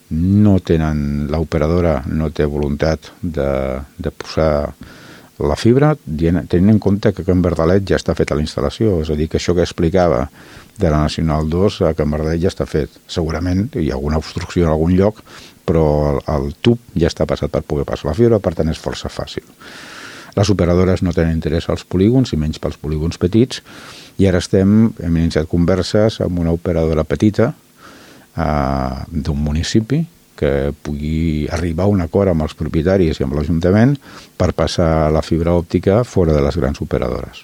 l'operadora no té voluntat de posar la fibra, tenint en compte que a Can Verdalet ja està feta la instal·lació, és a dir, que això que explicava de la Nacional 2 a Can Verdalet ja està fet. Segurament hi ha alguna obstrucció en algun lloc, però el tub ja està passat per poder passar la fibra, per tant és força fàcil. Les operadores no tenen interès als polígons, i menys pels polígons petits, i ara hem iniciat converses amb una operadora petita d'un municipi que pugui arribar a un acord amb els propietaris i amb l'Ajuntament per passar la fibra òptica fora de les grans operadores.